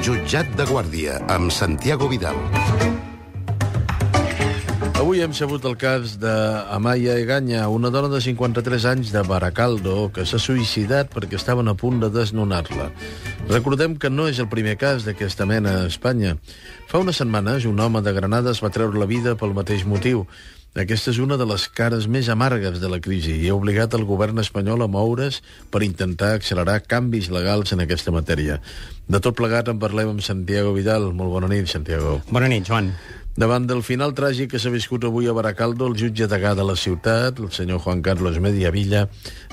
Jutjat de Guàrdia, amb Santiago Vidal. Avui hem sabut el cas d'Amaya Egaña, una dona de 53 anys de Baracaldo que s'ha suïcidat perquè estaven a punt de desnonar-la. Recordem que no és el primer cas d'aquesta mena a Espanya. Fa unes setmanes, un home de Granada es va treure la vida pel mateix motiu. Aquesta és una de les cares més amargues de la crisi i ha obligat el govern espanyol a moure's per intentar accelerar canvis legals en aquesta matèria. De tot plegat en parlem amb Santiago Vidal. Molt bona nit, Santiago. Bona nit, Joan. Davant del final tràgic que s'ha viscut avui a Baracaldo, el jutge degà de la ciutat, el senyor Juan Carlos Mediavilla,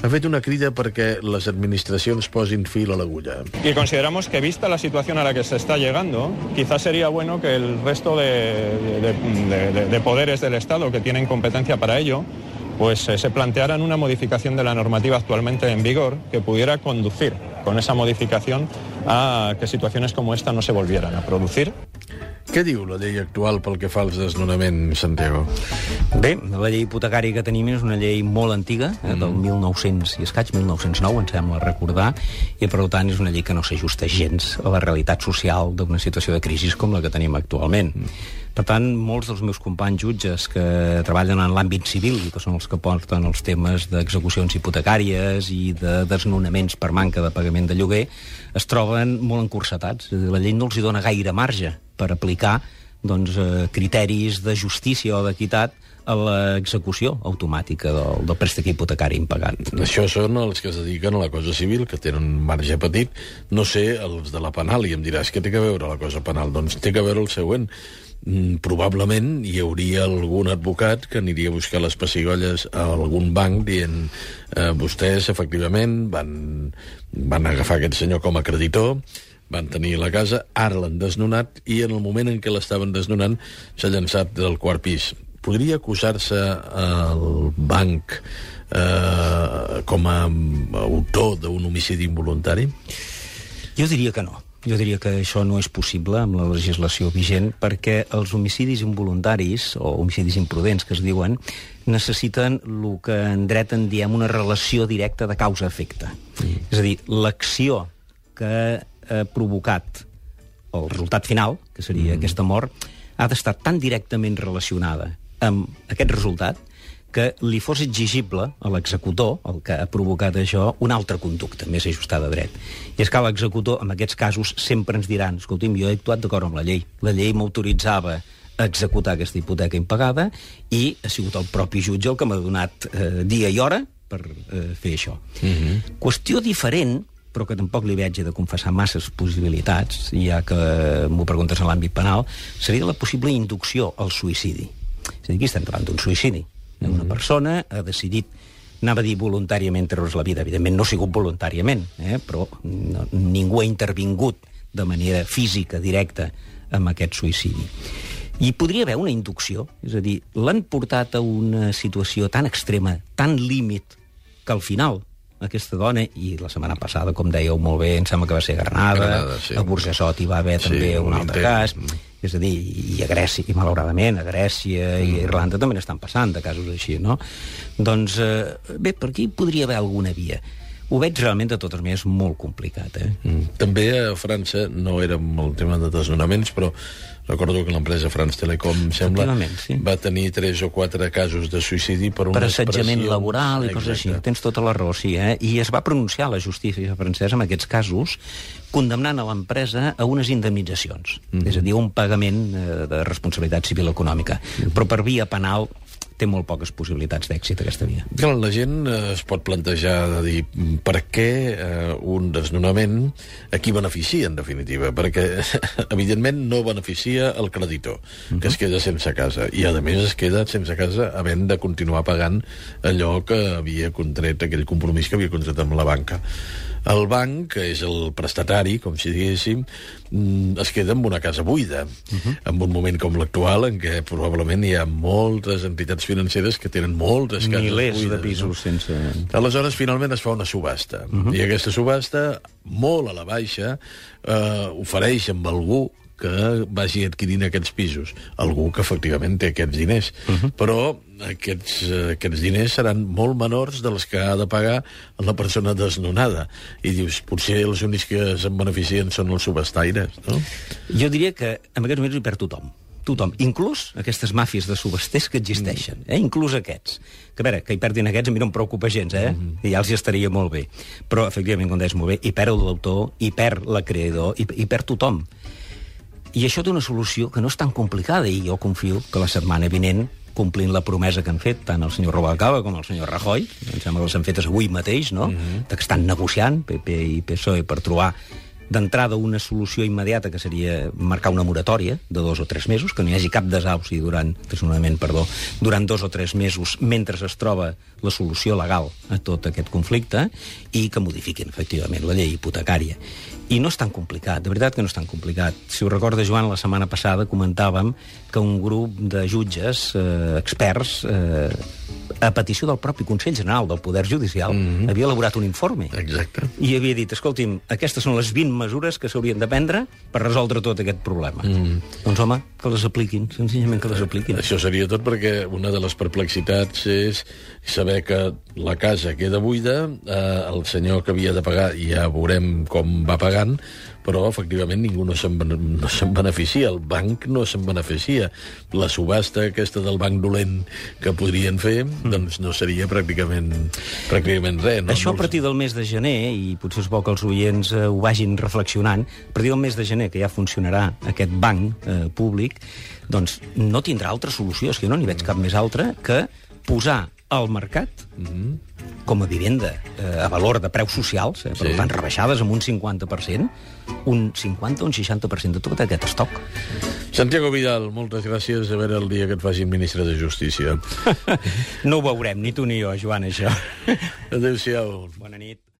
ha fet una crida perquè les administracions posin fil a l'agulla. Y consideramos que, vista la situación a la que se está llegando, quizás sería bueno que el resto de poderes del Estado que tienen competencia para ello, pues se plantearan una modificación de la normativa actualmente en vigor que pudiera conducir con esa modificación a que situaciones como esta no se volvieran a producir. Què diu la llei actual pel que fa als desnonaments, Santiago? Bé, la llei hipotecària que tenim és una llei molt antiga, del 1900 i escaig, 1909, em sembla recordar, i per tant és una llei que no s'ajusta gens a la realitat social d'una situació de crisi com la que tenim actualment. Per tant, molts dels meus companys jutges que treballen en l'àmbit civil i que són els que porten els temes d'execucions hipotecàries i de desnonaments per manca de pagament de lloguer es troben molt encursetats. La llei no els hi dona gaire marge per aplicar criteris de justícia o d'equitat a l'execució automàtica del préstec hipotecari impagat. Això són els que es dediquen a la cosa civil, que tenen un marge petit. No sé, els de la penal, i em diràs, què té a veure la cosa penal? Doncs té a veure el següent. Probablement hi hauria algun advocat que aniria a buscar les pessigolles a algun banc dient vostès, efectivament, van agafar aquest senyor com a creditor, van tenir la casa, ara l'han desnonat i en el moment en què l'estaven desnonant s'ha llançat del quart pis. Podria acusar-se el banc com a autor d'un homicidi involuntari? Jo diria que no. Jo diria que això no és possible amb la legislació vigent perquè els homicidis involuntaris o homicidis imprudents que es diuen necessiten el que en dret en diem una relació directa de causa-efecte. És a dir, l'acció que ha provocat el resultat final, que seria aquesta mort, ha d'estar tan directament relacionada amb aquest resultat que li fos exigible a l'executor, el que ha provocat això, una altra conducta més ajustada a dret. I és que l'executor, en aquests casos, sempre ens diran, escolti'm, jo he actuat d'acord amb la llei. La llei m'autoritzava a executar aquesta hipoteca impagada i ha sigut el propi jutge el que m'ha donat dia i hora per fer això. Qüestió diferent, però que tampoc li veig de confessar masses possibilitats, ja que m'ho preguntes en l'àmbit penal, seria la possible inducció al suïcidi. És a dir, aquí estem davant d'un suïcidi. Una persona ha decidit, anava a dir voluntàriament treure's la vida, evidentment no ha sigut voluntàriament, però ningú ha intervingut de manera física, directa, amb aquest suïcidi. I podria haver una inducció, és a dir, l'han portat a una situació tan extrema, tan límit, que al final aquesta dona, i la setmana passada, com dèieu molt bé, em sembla que va ser a Granada, sí. A Burjassot hi va haver també un altre cas, és a dir, i a Grècia, i malauradament a Grècia i a Irlanda també n'estan passant de casos així, no? Doncs, bé, per aquí podria haver alguna via. Ho veig realment, de totes maneres, molt complicat. També a França, no era el tema de desnonaments, però recordo que l'empresa France Telecom, sembla, va tenir 3 o 4 casos de suïcidi per assetjament laboral i coses així. Tens tota la raó, sí. I es va pronunciar la justícia francesa en aquests casos condemnant a l'empresa a unes indemnitzacions. És a dir, un pagament de responsabilitat civil econòmica. Però per via penal té molt poques possibilitats d'èxit aquesta via. Clar, la gent es pot plantejar de dir per què un desnonament a qui beneficia, en definitiva, perquè evidentment no beneficia el creditor, que es queda sense casa, i a més es queda sense casa havent de continuar pagant allò que havia contret, aquell compromís que havia contret amb la banca. El banc, que és el prestatari, com si diguéssim, es queda amb una casa buida, en un moment com l'actual, en què probablement hi ha moltes entitats financeres que tenen moltes cases buides. Milers de pisos sense... Aleshores, finalment es fa una subhasta, i aquesta subhasta, molt a la baixa, ofereix amb algú que vagi adquirint aquests pisos. Algú que efectivament té aquests diners. Però aquests diners seran molt menors dels que ha de pagar la persona desnonada. I dius, potser els únics que se'n beneficien són els subestaires, no? Jo diria que en aquests moments hi perd tothom. Tothom, inclús aquestes màfies de subhasters que existeixen, inclús aquests. Que a veure, que hi perdin aquests a mi no em preocupa gens, i ja els hi estaria molt bé. Però, efectivament, com deies molt bé, hi perd l'autor, hi perd l'acreedor, hi perd tothom. I això té una solució que no és tan complicada, i jo confio que la setmana vinent, complint la promesa que han fet tant el senyor Rubalcaba com el senyor Rajoy, em sembla que les han fetes avui mateix, no? Que estan negociant, PP i PSOE, per trobar d'entrada una solució immediata, que seria marcar una moratòria de 2 o 3 mesos, que no hi hagi cap desnonament durant 2 o 3 mesos mentre es troba la solució legal a tot aquest conflicte, i que modifiquin, efectivament, la llei hipotecària. I no és tan complicat, de veritat que no és tan complicat. Si ho recorda, Joan, la setmana passada comentàvem que un grup de jutges, experts, a petició del propi Consell General del Poder Judicial, havia elaborat un informe. Exacte. I havia dit, escolti'm, aquestes són les 20 mesures que s'haurien de prendre per resoldre tot aquest problema. Doncs, home, que les apliquin, senzillament que les apliquin. Això seria tot, perquè una de les perplexitats és saber que la casa queda buida, el senyor que havia de pagar ja veurem com va pagant, però efectivament ningú no se'n beneficia, el banc no se'n beneficia. La subhasta aquesta del banc dolent que podrien fer, doncs no seria pràcticament res. No? Això a partir del mes de gener, i potser és bo que els oients ho vagin reflexionant, a partir del mes de gener, que ja funcionarà aquest banc públic, doncs no tindrà altra solució, és que jo no n'hi veig cap més altra que posar al mercat com a vivenda a valor de preus socials, per tant, rebaixades amb un 50%, un 50 o un 60% de tot aquest estoc. Santiago Vidal, moltes gràcies. A veure el dia que et facin ministre de Justícia. No ho veurem, ni tu ni jo, Joan, això. Adéu-siau. Bona nit.